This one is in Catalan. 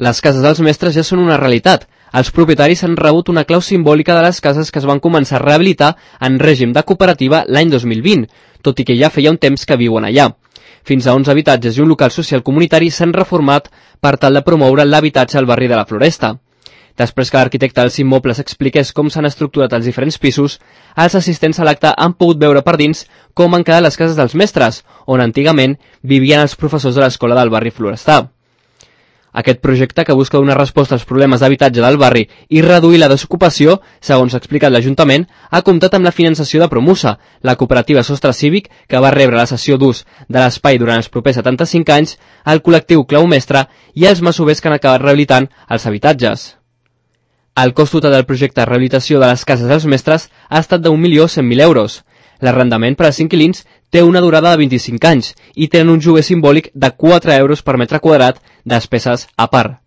Les cases dels mestres ja són una realitat. Els propietaris han rebut una clau simbòlica de les cases que es van començar a rehabilitar en règim de cooperativa l'any 2020, tot i que ja feia un temps que viuen allà. Fins a 11 habitatges i un local social comunitari s'han reformat per tal de promoure l'habitatge al barri de la Floresta. Després que l'arquitecte dels immobles expliqués com s'han estructurat els diferents pisos, els assistents a l'acte han pogut veure per dins com han quedat les cases dels mestres, on antigament vivien els professors de l'escola del barri florestà. Aquest projecte, que busca donar resposta als problemes d'habitatge del barri i reduir la desocupació, segons ha explicat l'Ajuntament, ha comptat amb la finançació de Promusa, la cooperativa Sostre Cívic, que va rebre la cessió d'ús de l'espai durant els propers 75 anys, el col·lectiu Clau Mestre i els masovers que han acabat rehabilitant els habitatges. El cost total del projecte de rehabilitació de les cases dels mestres ha estat d'1.100.000 euros. L'arrendament per als inquilins té una durada de 25 anys i tenen un lloguer simbòlic de 4 euros per metre quadrat, despeses a part.